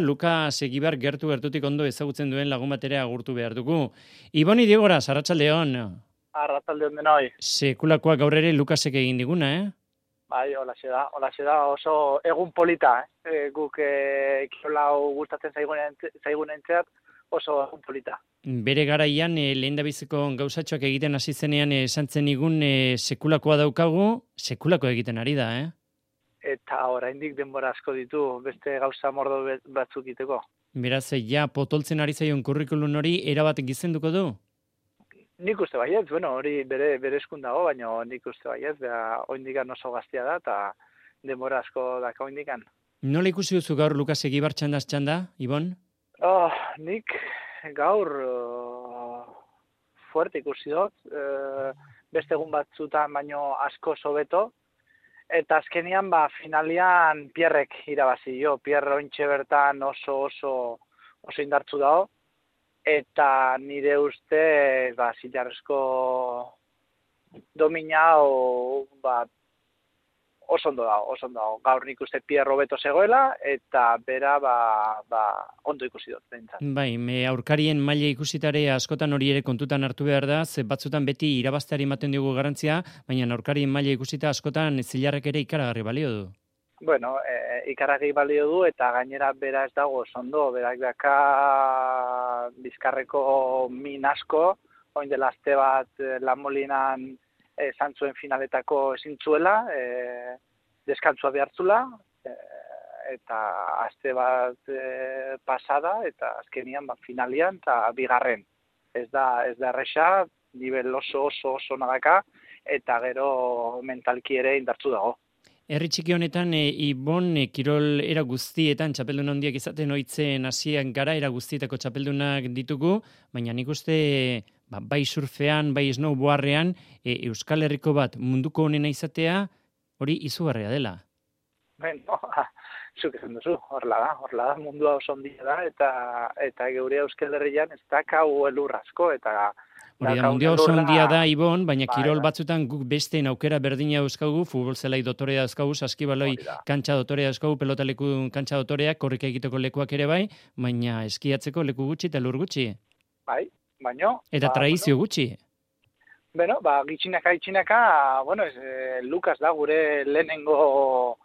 Luka Segibar gertutik ondo ezagutzen duen lagun batera agurtu behar dugu. Iboni Diegora, arratsaldeon. Arratsaldeon denoi. Sekulakoa gaur ere Lukasek egin diguna, Bai, holaxe da, oso egun polita, guk kirola hau gustatzen zaigunentzat oso egun polita. Bere garaian lehendabiziko gauzatxoak egiten hasi zenean esan zenigun sekulakoa daukagu, sekulako egiten ari da, Eta oraindik denbora asko ditu beste gauza mordo batzuk egiteko. Beraz, ja potoltzen ari zaion kurrikulum hori erabat gizenduko du? Nik uste baiet, hori bere eskun dago, baina nik uste baiet, oraindikan oso gaztia da eta denbora asko daka oraindikan. Nola ikusi duzu gaur Lukas Egibar txanda, Ibon? Nik gaur fuerte ikusi dut, beste egun batzutan baino asko hobeto, eta azkenian finalian Pierrek irabazi jo. Pierre ointxe bertan oso indartzu dago, eta nire uste zilarrezko domina oso ondo dago. Gaur nik uste Pierre hobeto zegoela, eta bera ondo ikusi dut. Bai, aurkarien maila ikusitare askotan hori ere kontutan hartu behar da, ze batzutan beti irabazteari ematen diogu garrantzia, baina aurkarien maila ikusita askotan zilarrek ere ikaragarri balio du. Ikaragarri balio du, eta gainera bera ez dago ondo, berak daka bizkarreko min asko, oin dela aste bat Lan Molinan esan zuen finaletako ezin zuela, deskantzua behartzula, eta aste bat pasada, eta azkenian finalian, eta bigarren. Ez da erresa, nivel oso nadaka, eta gero mentalki ere indartzu dago. Herri txiki honetan, Ibon, kirol era guztietan txapeldun handiak izaten ohitzen hasiak gara, era guztietako txapeldunak ditugu, baina nik uste bai surfean, bai snowboardean, Euskal Herriko bat munduko honena izatea, hori izugarria dela. Zuk esan duzu, horrela da, mundua oso ondia da, eta geure Euskal Herrian ez dakau elur asko, eta hori da, mundia oso ondia da, Ibon, baina kirol batzutan guk besteen aukera berdina euskagu, futbol zelai dotorea euskagu, saskibaloi kantxa dotorea euskagu, pelotaleku kantxa dotoreak, korrika egiteko lekuak ere bai, baina eskiatzeko leku gutxi eta lur gutxi. Bai, baino. Eta tradizio gutxi. Gitxinaka, Lukas da gure lehenengo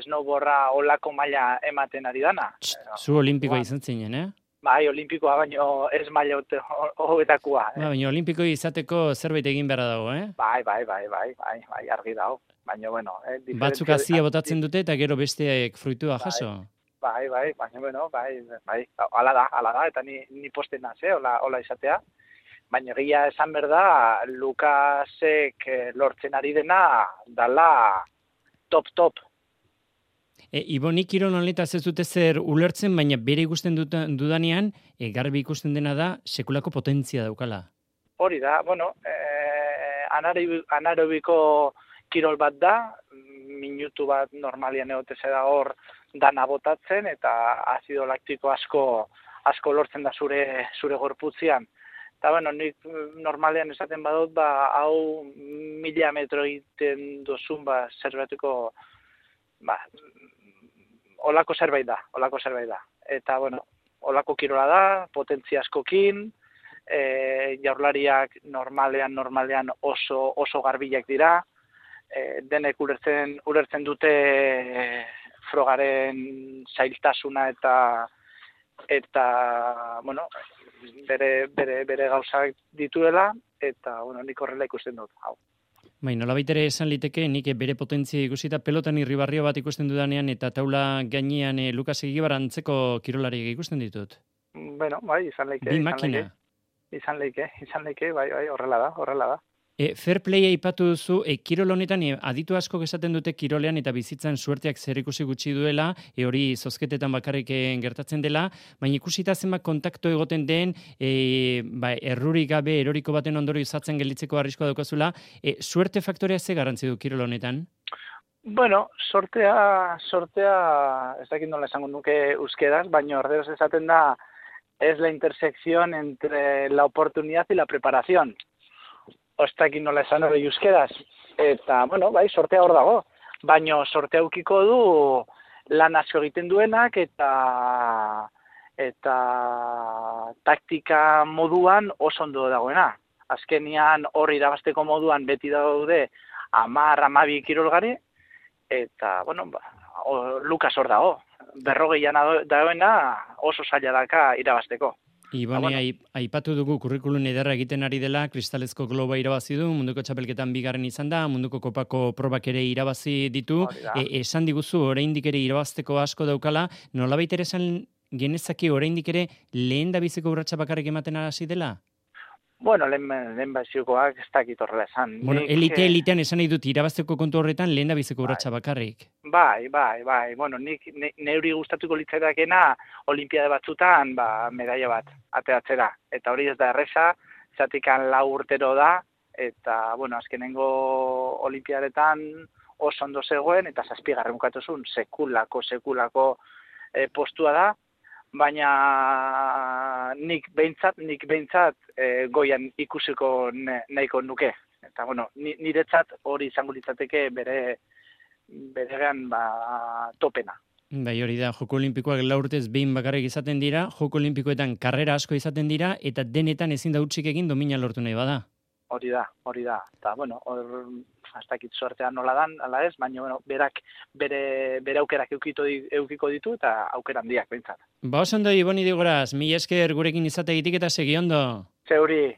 snowboarda olako maila ematen ari dana. Zu olimpikoa izan zinen, Bai, olimpikoa, baino ez maila hobetakoa. Baina olimpiko izateko zerbait egin behar dago, Bai, argi dago. Baina, batzuk azia botatzen dute eta gero besteak fruitua jaso. Bai, baina, ala da, eta ni posten naz, hola izatea. Baina egia esan behar da, Lukasek lortzen ari dena, dala top. Ibonik kirol honetaz ez dute zer ulertzen, baina bere ikusten dudanean, garbi ikusten dena da, sekulako potentzia daukala. Hori da, anaerobiko kirol bat da, minutu bat normalian egoteze da hor dana botatzen, eta azido laktiko asko lortzen da zure gorputzian. Eta, nik normalean esaten badut, hau 1000 metro egiten dozun, zerbateko, olako zerbait da. Eta, olako kirola da, potentzia askokin, jaurlariak normalean oso garbilak dira, denek ulertzen dute frogaren zailtasuna eta bere gauzak dituela, eta, nik horrela ikusten dut, hau. Nolabait ere esan liteke, nik bere potentzia ikusita pelotan irribarrio bat ikusten dudanean eta taula gainean Lukas Egibar antzeko kirolariak ikusten ditut. Izan leike. Bi makina. Izan leike, bai, horrela da. Fair playa aipatu duzu, kirol honetan aditu asko esaten dute kirolean eta bizitzan suerteak zerikusi gutxi duela, hori zozketetan bakarrik gertatzen dela, baina ikusita zenbat kontakto egoten den, errurik gabe eroriko baten ondorio izatzen gelditzeko arriskoa daukazula, suerte faktorea ze garrantzi du kirol honetan? Sortea, ez dakit nola esango nuke euskeraz, baina orderos esaten da, es la intersección entre la oportunidad y la preparación. Ostakit nola esan hori euskeraz. Eta, sortea hor dago. Baina sortea ukiko du lan asko egiten duenak eta taktika moduan oso ondo dagoena. Azkenian hor irabasteko moduan beti daude 10-12 kirolgari, eta, bueno, Lukas hor dago. 40 dagoena oso zaila daka irabasteko. Ibone, aipatu dugu kurrikulun ederra egiten ari dela, kristalezko globa irabazi du, munduko txapelketan bigarren izan da, munduko kopako probak ere irabazi ditu, esan diguzu oraindik ere irabazteko asko daukala, nolabait ere esan genezake oraindik ere lehen da biziko urratsa bakarrik ematen hasi dela? Bueno, lehen baziokoak ez dakit horrela esan. Bueno, elitean esan nahi dut irabazteko kontu horretan lehen da biziko urratsa bakarrik. Bai. Bueno, neuri gustatuko litzaitakena olimpiade batzutan medaia bat ateratzera. Eta hori ez da erresa, zatikan 4 urtero da, eta, bueno, azkenengo olimpiadetan oso ondo zegoen, eta 7. bukatuzun sekulako postua da, baina nik behintzat goian ikusiko nahiko nuke. Eta, bueno, niretzat hori izango litzateke beregan topena. Bai, hori da, Joko Olimpikoak 4 urtez behin bakarrik izaten dira, Joko Olimpikoetan karrera asko izaten dira, eta denetan ezin da hutsik egin domina lortu nahi bada. Hori da. Eta, bueno, ez dakit suertean nola dan, ala ez, baina, bueno, berak bere aukerak eukiko ditu, eta aukera handiak behintzat. Oso ondo, Ibone Idigoras, mila esker gurekin izategitik eta segi ondo. Zeuri.